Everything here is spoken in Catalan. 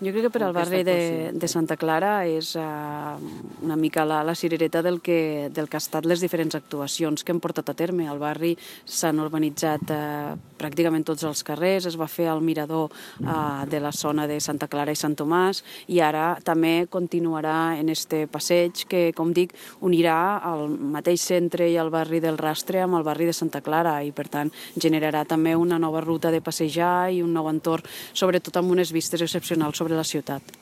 Jo crec que per al barri de Santa Clara és una mica la cirereta del que ha estat les diferents actuacions que hem portat a terme. Al barri s'han urbanitzat pràcticament tots els carrers, es va fer el mirador de la zona de Santa Clara i Sant Tomàs i ara també continuarà en este passeig que, com dic, unirà el mateix centre i el barri del Rastre amb el barri de Santa Clara i, per tant, generarà també una nova ruta de passejar i un nou entorn, sobretot amb unes vistes excepcionals sobre la ciutat.